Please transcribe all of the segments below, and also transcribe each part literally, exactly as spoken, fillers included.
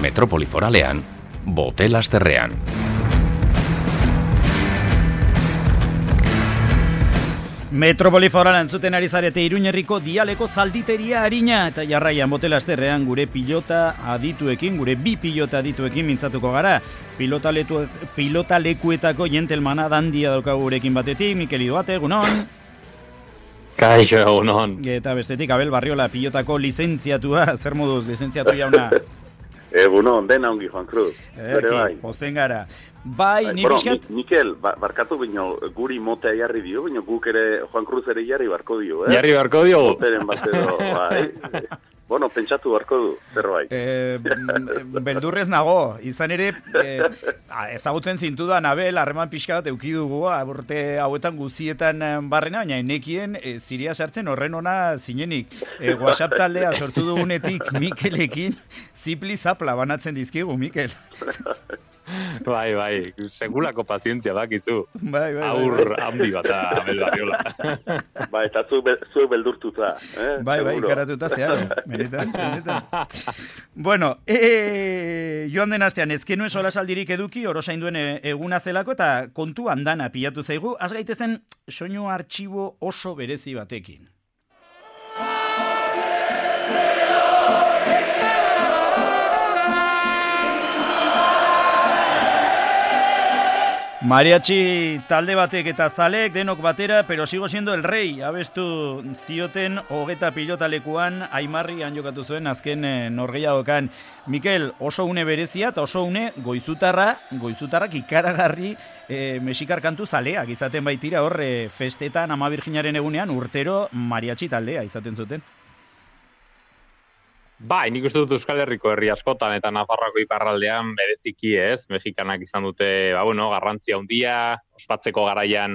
Metropoli Foralean, Bote-Lasterrean. Metropoli Foralean entzuten ari zarete Iruñerriko dialeko zalditeria arina eta jarraian Bote-Lasterrean gure pilota adituekin, gure bi pilota adituekin mintzatuko gara. Pilota, letu, pilota lekuetako jentelmana dandia daukagu gurekin batetik, Mikel Idoate, egunon. Kaixo, egunon. Eta bestetik, Abel Barriola, pilotako lizentziatua, zer moduz, lizentziatu jauna? Egunon, dena ongi, Juan Cruz. Eki, bai. Posten gara. Bai, ni bueno, bizkat... Mikel, ba, barkatu bino, guri motea jarri dio, bino guk ere, Juan Cruz ere jarri barko dio, eh? Jarri barko dio? Moteren bat edo, bai. Bueno, pentsatu barko du, zerbait. Eh, beldurrez nago, izan ere, eh, ezagutzen zintudan, Abel, harreman pixka bat eukidugu, aborte hauetan guzietan barrena, baina enekien eh, ziria sartzen horren ona zinenik. Eh, WhatsApp taldea sortu dugunetik Mikelekin, zipli zapla banatzen dizkigu, Mikel. Bai, bai, segulako pazientzia bakizu. Bai, bai, Aur bai. handi bat, Abel Barriola. Bai, eta zu, be, zu beldurtuta, eh? Bai, bai, karatuta zeharo. Benetan, benetan. Bueno, e, joan den astean, ezkenuen solasaldirik eduki, orosainduen eguna zelako, eta kontu andana pilatu zaigu, az gaitezen soinu artxibo oso berezi batekin. Mariachi talde batek eta zalek denok batera, pero sigo siendo el rey. Abestu zioten hogeta pilotalekuan Aimarrian jokatu zuen azken e, norgehiagokan. Mikel, oso une berezia eta oso une goizutarra, goizutarrak ikaragarri e, mexikar kantu zaleak izaten baitira hor e, festetan Ama Birjinaren egunean urtero mariachi taldea izaten zuten. Bai, nik uste dut Euskal Herriko herri askotan eta Nafarroako iparraldean bereziki ez, mexikanak izan dute, ba bueno, garrantzia handia, ospatzeko garaian,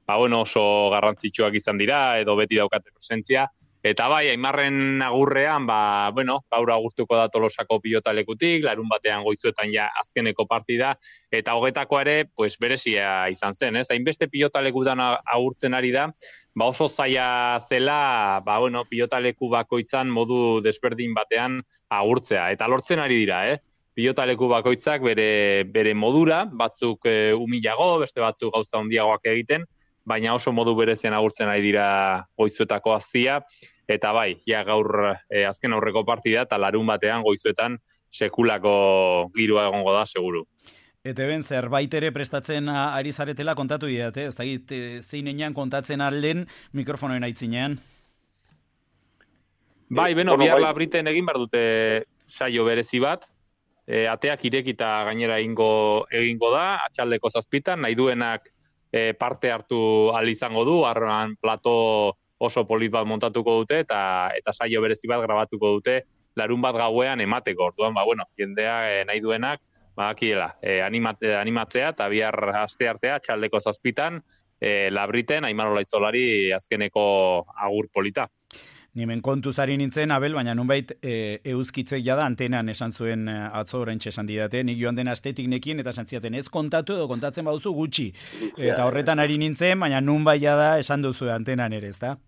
ba bueno, oso garrantzitsuak izan dira edo beti daukate presentzia. Eta bai, Aimarren agurrean, ba, bueno, gaur agurtuko da Tolosako pilotalekutik, larun batean goizuetan ja azkeneko partida, eta hogetakoa ere, pues berezia izan zen, ez? Hainbeste pilotalekutan agurtzen ari da, ba oso zaila zela, ba bueno, pilotaleku bakoitzan modu desberdin batean agurtzea, eta lortzen ari dira, eh? Pilotaleku bakoitzak bere, bere modura, batzuk e, umilago, beste batzuk gauza handiagoak egiten, baina oso modu berezian agurtzen ari dira goizuetako aztia, eta bai, ja gaur e, azken aurreko partida, eta larun batean goizuetan sekulako girua egongo da, seguru. Eta ben, zerbait ere prestatzen ari zaretela kontatu didate, ez da zeinean kontatzen alden mikrofonoen aitzinean. Bai, beno, bihar Labriten egin behar dute saio berezi bat, e, ateak irekita gainera egingo, egingo da, atxaldeko zazpitan, nahi duenak e, parte hartu ahal izango du, arroan plato oso polit bat montatuko dute, eta eta saio berezi bat grabatuko dute, larun bat gauean emateko, orduan, ba, bueno, jendea e, nahi duenak, badakiela, eh, animate, animatzea eta bihar aste artea txaldeko zazpitan eh, Labriten Aimar Olaitzolari azkeneko agur polita. Nimen kontuz ari nintzen, Abel, baina nunbait e, euskitzek jada antenan esan zuen atzo oraintxe esan didate, nik joan den astetik nekin eta esan ziaten ez kontatu edo kontatzen baduzu gutxi. Eta horretan ari nintzen, baina nunbait jada esan duzu antenan ere, ezta?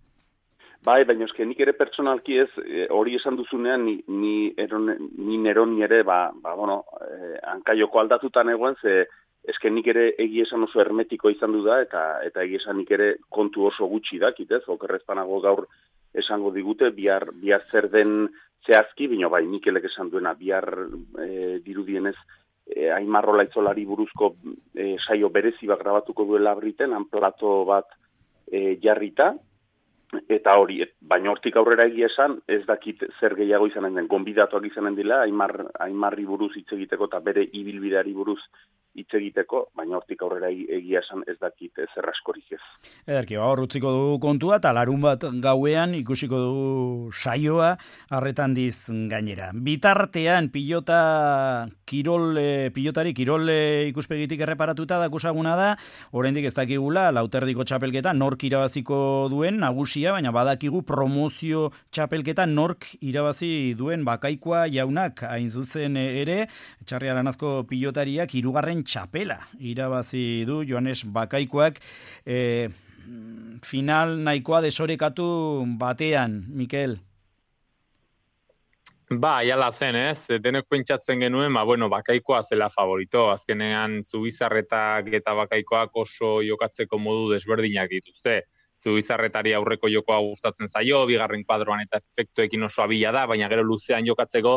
Bai, baina eske nik ere pertsonalki ez, hori esan duzunean, ni, ni, eron, ni neroni ere, ba, ba bueno, eh, hankaioko aldatutan egoen, ze eske nik ere egia esan oso hermetiko izan du da, eta eta egia esan nik ere kontu oso gutxi dakit, ez, okerrezpanago gaur esango digute, bihar, bihar zer den zehazki, bino bai, Mikelek esan duena, bihar e, dirudienez, e, Aimar Olaitzolari buruzko e, saio berezi bat grabatuko duela Labriten, han plato bat e, jarrita, eta hori, baina hortik aurrera egia esan, ez dakit zer gehiago izanen den, gonbidatuak izanen dila, Aimar, Aimarri buruz hitz egiteko eta bere ibilbideari buruz hitz egiteko, baina hortik aurrera egia esan ez dakit zer askorik ez. Ederki, ba, hor utziko dugu kontua, eta larun bat gauean ikusiko dugu saioa, arretan diz gainera. Bitartean, pilota, kirol, pilotari, kirol ikuspegitik erreparatuta dakusaguna da, oraindik ez dakigula, lauterdiko txapelketa, nork irabaziko duen, nagusia, baina badakigu promozio txapelketa nork irabazi duen Bakaikoa jaunak, hain zuzen ere, Txarri Aranazko pilotariak hirugarren txapela irabazi du Joanes Bakaikoak, e, final nahikoa desorekatu batean, Mikel. Ba, jala zen, ez? Denek pentsatzen genuen, ba, bueno, Bakaikoa zela favorito. Azkenean, Zubizarretak eta Bakaikoak oso jokatzeko modu desberdinak dituzte. Zubizarretari aurreko jokoa gustatzen zaio, bigarren kuadroan eta efektuekin oso abila da, baina gero luzean jokatzeko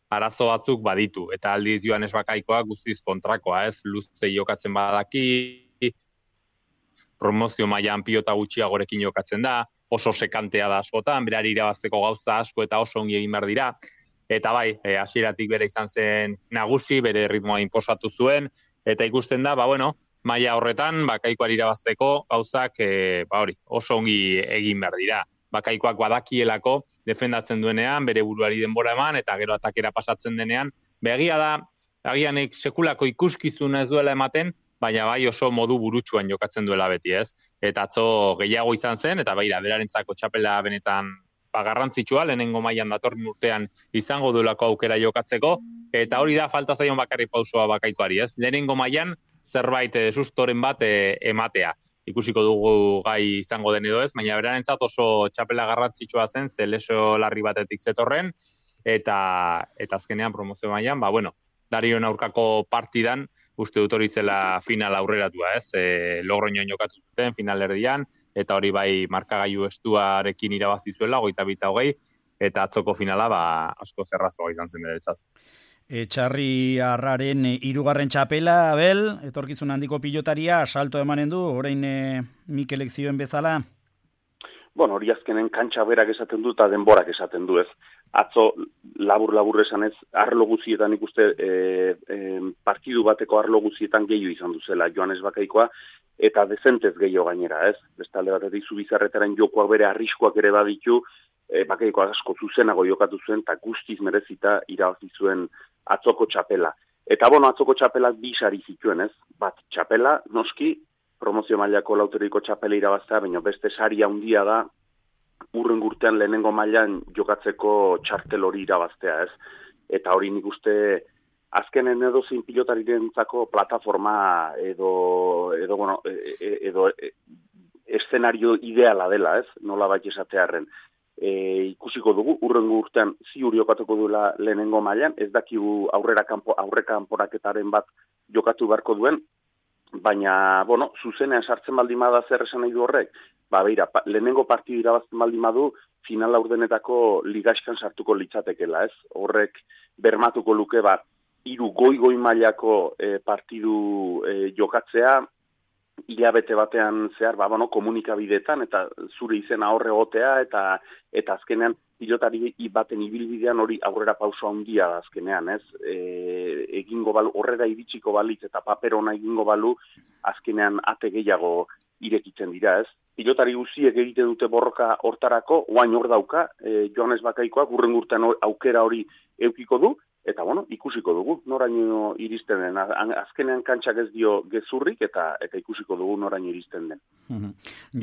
arazo batzuk baditu. Eta aldiz Joanes Bakaikoak guztiz kontrakoa, ez? Luze jokatzen badaki, promozio mailan pilota gutxiagorekin jokatzen da, oso sekantea da askotan, berari irabazteko gauza asko eta oso ongi egin behar dira. Eta bai, e, hasieratik bere izan zen nagusi, bere ritmoa inposatu zuen, eta ikusten da, ba bueno, maila horretan, Bakaikoari irabazteko gauzak e, ba hori, oso ongi egin behar dira. Bakaikoak badakielako defendatzen duenean, bere buruari denbora eman, eta gero atakera pasatzen denean, begia da, agianek sekulako ikuskizuna ez duela ematen, baina bai oso modu burutsuan jokatzen duela beti, ez? Eta atzo gehiago izan zen, eta baira, berarentzako txapela benetan ba, garrantzitsua, lehenengo mailan datorren urtean izango duelako aukera jokatzeko, eta hori da falta zaion bakarrik pausoa Bakaikoari, ez? Lehenengo mailan zerbait e, sustoren bat e, ematea. Ikusiko dugu gai izango den edo ez, baina berarentzat oso txapela garrantzitsua zen, ze leso larri batetik zetorren, eta, eta azkenean promozio mailan, ba, bueno, Darion aurkako partidan, uste dut hori zela final aurreratua, ez? E, Logroñoan jokatu zuten finalerdian, eta hori bai markagailu estuarekin irabazi zuela, hogeita bita hogei, eta atzoko finala ba, asko zerrazoa izan zen beretzat. Etxarri Arraren hirugarren txapela, Abel, etorkizun handiko pilotaria, salto emanen du, orain e, Mikelek zioen bezala? Bueno, hori azkenen kantxa berak esaten du eta denborak esaten du, ez? Atzo labur-labur esanez, arlo guzietan ikuste e, e, partidu bateko arlo guzietan gehiago izan duzela Joanes Bakaikoa, eta dezentez gehiago gainera, ez? Bestalde batetik Zubizarretaren jokoak bere arriskoak ere baditu, e, Bakaikoa asko zuzenago jokatu zuen, eta guztiz merezita irabazi zuen atzoko txapela. Eta bueno, atzoko txapelak bi sari zituen, ez? Bat txapela, noski, promozio mailako lauteriko txapela irabaztea, baina beste sari handia da, urren urtean lehenengo mailan jokatzeko txartel hori irabaztea, ez? Eta hori nik uste azkenen edo zein pilotarirentzako plataforma edo edo bueno, edo eszenario ideala dela, ez? Nola bait esatearren. E, ikusiko dugu urrengo urtean ziur jokatuko duela lehenengo mailan, ez dakigu aurrera kanpo aurreka kanporaketaren bat jokatu beharko duen, baina bueno, zuzenean sartzen baldin bada zer esan nahi du horrek? Ba, beira, pa, lehenengo partidu irabazten baldin badu, final laurdenetako ligaxkan sartuko litzatekela, ez? Horrek bermatuko luke, ba, hiru goi-goi mailako e, partidu e, jokatzea, hilabete batean zehar, ba, bueno, komunikabideetan, eta zure izena horre gotea, eta eta azkenean pilotari baten ibilbidean hori aurrera pauso handia da azkenean, ez? E, egingo balu, horrera iritsiko balitz eta paper ona egingo balu, azkenean ate gehiago irekitzen dira, ez? Pilotari guziek egite dute borroka hortarako, oain hor dauka, e, Joanes Bakaikoak urren urtean aukera hori eukiko du, eta bueno, ikusiko dugu, noraino iristen den. Azkenean kantxak ez dio gezurrik, eta eta ikusiko dugu noraino iristen den. Uh-huh.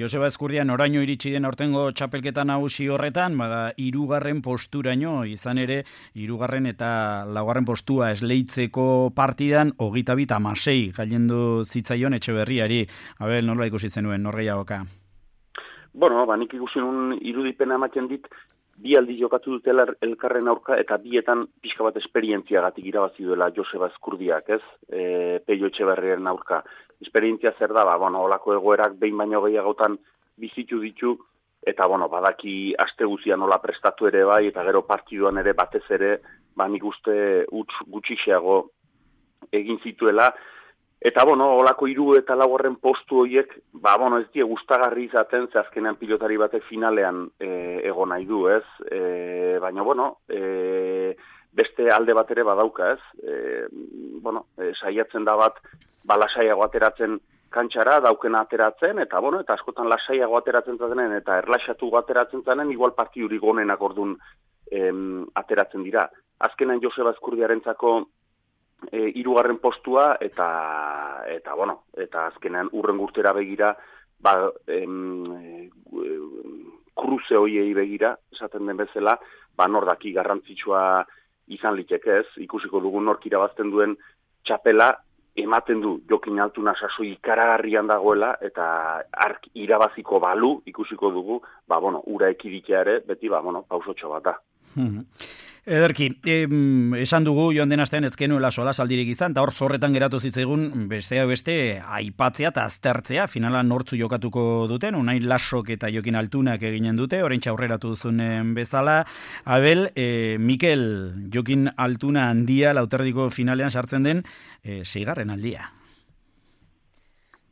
Joseba Ezkurdia, noraino iritsi den aurtengo txapelketa nagusi horretan, bada hirugarren posturaino, izan ere, hirugarren eta laugarren postua esleitzeko partidan, hogeita bit hamasei gailendu zitzaion Etxeberriari. Abel, nola ikusi zenuen, nor gehiagoka? Bueno, ba, nik ikusi nun irudipena ematen dit, bi aldi jokatu dutela elkarren aurka, eta bietan pixka bat esperientziagatik irabazi duela Joseba Ezkurdiak, ez? E, Peio Etxeberriaren aurka. Esperientzia zer da, ba, bueno, olako egoerak behin baino gehiagotan bizitu ditu, eta, bueno, badaki aste guzia nola prestatu ere bai, eta gero partiduan ere batez ere, ba, nik uste utz gutxixeago egin zituela. Eta, bueno, olako hiru eta laugarren postu horiek, ba, bueno, ez die gustagarri izaten, ze azkenean pilotari batek finalean e, egon nahi du, ez? E, baina, bueno, e, beste alde bat ere badauka, ez? E, bueno, e, saiatzen da bat, ba, lasaiago ateratzen kantxara, daukena ateratzen, eta, bueno, eta askotan lasaiago ateratzen zaten, eta erlaxatu ateratzen zanen, igual partidurik gonenak ordun em, ateratzen dira. Azkenan Joseba Ezkurdiarentzako E, hirugarren postua eta eta bueno, eta azkenean urren urtera begira, ba em, e, kruze hoiei begira, esaten den bezala, ba nordaki garrantzitsua izan liteke, ez? Ikusiko dugu nork irabazten duen txapela ematen du Jokin Altuna sasoi ikaragarrian dagoela, eta ark irabaziko balu ikusiko dugu, ba bueno, ura ekiditea ere, beti ba bueno, pausotxo bat da. Ederki, em, esan dugu joan den astean ez genuela solasaldirik izan, eta hor zorretan geratu zitzaigun bestea beste aipatzea eta aztertzea, finala nortzu jokatuko duten, Unai Lasok eta Jokin Altunak eginen dute, oraintxe aurreratu duzunen bezala. Abel, e, Mikel, Jokin Altuna handia lauterdiko finalean sartzen den e, seigarren aldia.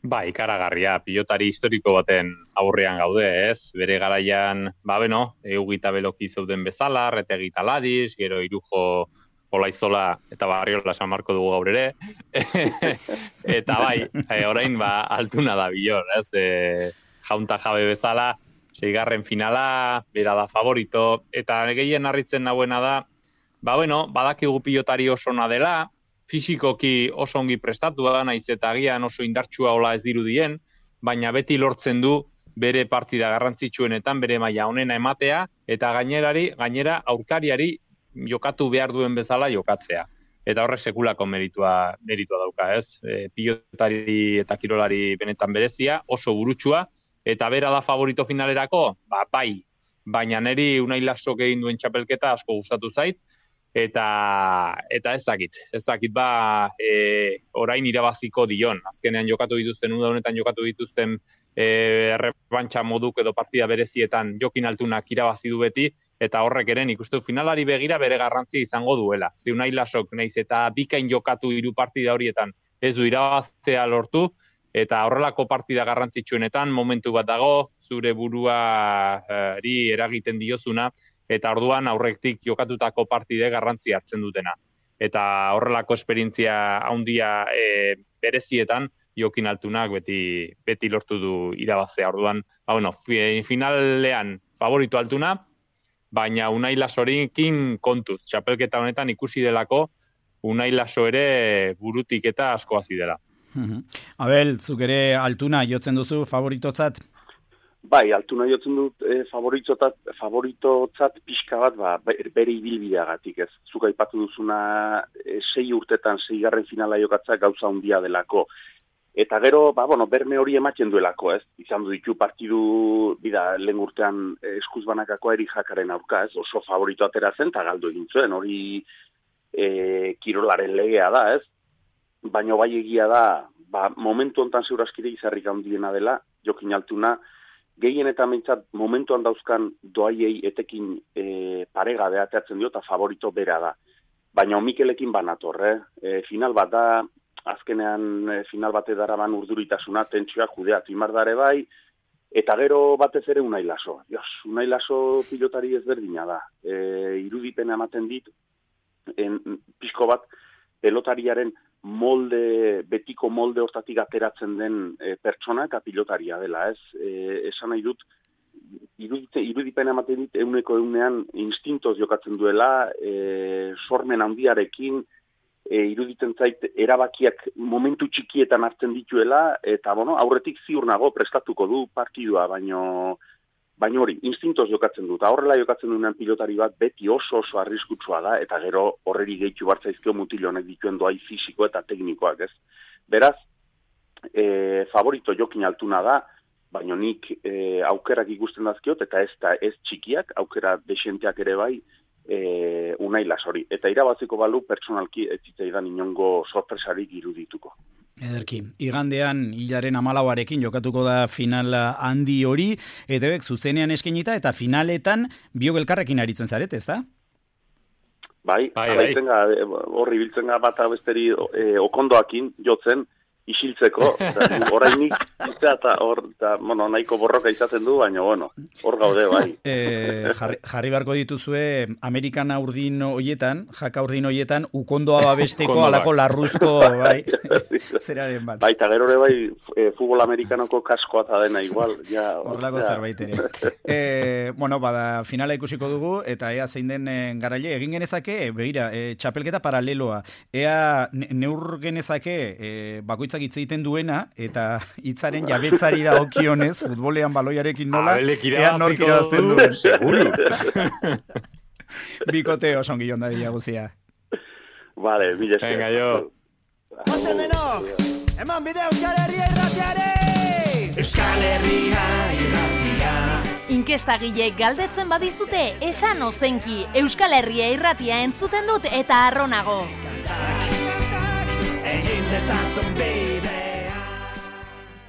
Ba, ikaragarria, pilotari historiko baten aurrean gaude, ez? Bere garaian, ba, beno, eugita beloki zeuden bezala, retegi taladiz, gero irujo Olaizola eta Barriola San Marko dugu gaur ere. Eta bai, e, orain ba, Altuna da bilor, ez? E, jaunta jabe bezala, seigarren finala, bera da favorito, eta gehien harritzen nahuena da, ba, bueno, badakigu pilotari oso ona dela, fisikoki oso ongi prestatua, naiz eta agian oso indartsua hola ez dirudien, baina beti lortzen du bere partida garrantzitsuenetan, bere maila onena ematea, eta gainerari, gainera aurkariari jokatu behar duen bezala jokatzea. Eta horrek sekulako meritua, meritua dauka, ez? E, pilotari eta kirolari benetan berezia, oso burutsua, eta bera da favorito finalerako, ba, bai, baina niri Unai Lasok egin duen txapelketa asko gustatu zait, Eta, eta ez dakit, ez dakit ba e, orain irabaziko dion. Azkenean jokatu dituzten, uda honetan jokatu dituzten e, errebantxa moduk edo partida berezietan Jokin Altunak irabazi du beti, eta horrek eren ikustu finalari begira bere garrantzi izango duela. Ze Unai Lasok naiz eta bikain jokatu hiru partida horietan ez du irabaztea lortu, eta horrelako partida garrantzitsuenetan momentu bat dago, zure buruari eragiten diozuna, eta orduan aurrektik jokatutako partide garrantzi hartzen dutena. Eta horrelako esperientzia handia e, berezietan Jokin Altunak beti, beti lortu du irabazea. Orduan, ba, bueno, finalean favorito Altuna, baina Unai Lasorekin kontuz. Txapelketa honetan ikusi delako Unai Laso ere burutik eta asko hasi dela. Abel, zuk ere Altuna jotzen duzu favoritotzat? Bai, Altuna jotzen dut e, favoritotzat, favoritotzat pixka bat, ba, bere ibilbideagatik, ez. Zuk aipatu duzuna e, sei urtetan seigarren finala jokatza gauza handia delako. Eta gero, ba, bueno, berme hori ematen duelako, ez. Izan du ditu partidu, bida, lehen urtean eskuz banakako Eri Jakaren aurka, ez. Oso favorito atera zen, eta galdu egin zuen, hori e, kirolaren legea da, ez. Baina bai egia da, ba, momentu hontan zeuraskire izarrik handiena dela, Jokin Altuna, gehien eta mentzat momentuan dauzkan doaiei etekin e, paregabe ateatzen dio eta favorito bera da. Baina Mikelekin banator, eh? E, final bat da, azkenean e, final bat edaraban urduritasuna, tentsioa judeatu imardare bai, eta gero batez ere Unai Laso. Dios, Unai Laso pilotari ezberdina da. E, irudipena ematen dit, en, pixko bat, pelotariaren molde, betiko molde hortatik ateratzen den e, pertsona eta pilotaria dela, ez? E, esan nahi dut, irudite, irudipena ematen dit, euneko eunean instintoz jokatzen duela, e, sormen handiarekin, e, iruditen zait, erabakiak momentu txikietan hartzen dituela, eta, bueno, aurretik ziur nago prestatuko du partidua, baino, baino hori, instintoz jokatzen dut. Horrela jokatzen duenean pilotari bat beti oso oso arriskutsua da, eta gero horreri gehitu bartzaizkio mutil honek dituen doai fisiko eta teknikoak, ez. Beraz, e, favorito Jokin Altuna da, baina nik e, aukerak ikusten dazkiot, eta ez da ez txikiak, aukera desenteak ere bai, e, Unai Lasori. Eta irabaziko balu pertsonalki ez zitzaidan inongo sorpresarik irudituko. Ederki, igandean hilaren amalauarekin jokatuko da finala handi hori, eta bek zuzenean eskenita eta finaletan biok elkarrekin aritzen zaret, ez da? Bai, bai, bai. Horri biltzen ga bat abesteri e, okondoakin jotzen, isiltzeko, orainik eta hor, bueno, nahiko borroka izaten du, baina, bueno, hor gaude, bai. E, jarri, jarri beharko dituzue, Amerikana urdin hoietan, jaka urdin hoietan, ukondoa babesteko alako larruzko, bai, zeraren bat. Bai, eta gero ere bai, e, futbol amerikanoko kaskoa eta dena igual, ja. Horlako zerbait ere. E, bueno, bada, finala ikusiko dugu, eta ea zein den garaile, egin genezake, begira, e, txapelketa paraleloa, ea neur genezake, e, bakoitza hitz egiten duena, eta hitzaren jabetzari da okionez, futbolean baloiarekin nola, ea nork irabazten duen. Seguro. Bikote oso ongi jonda dira guzia. Vale, mila esker. Venga, jo. Ozen denok, eman bide Euskal Herria irratiare! Euskal Herria irratia. Inkestagilek galdetzen badizute, esan ozenki, Euskal Herria irratia entzuten dut eta arronago. Egin dezazun bi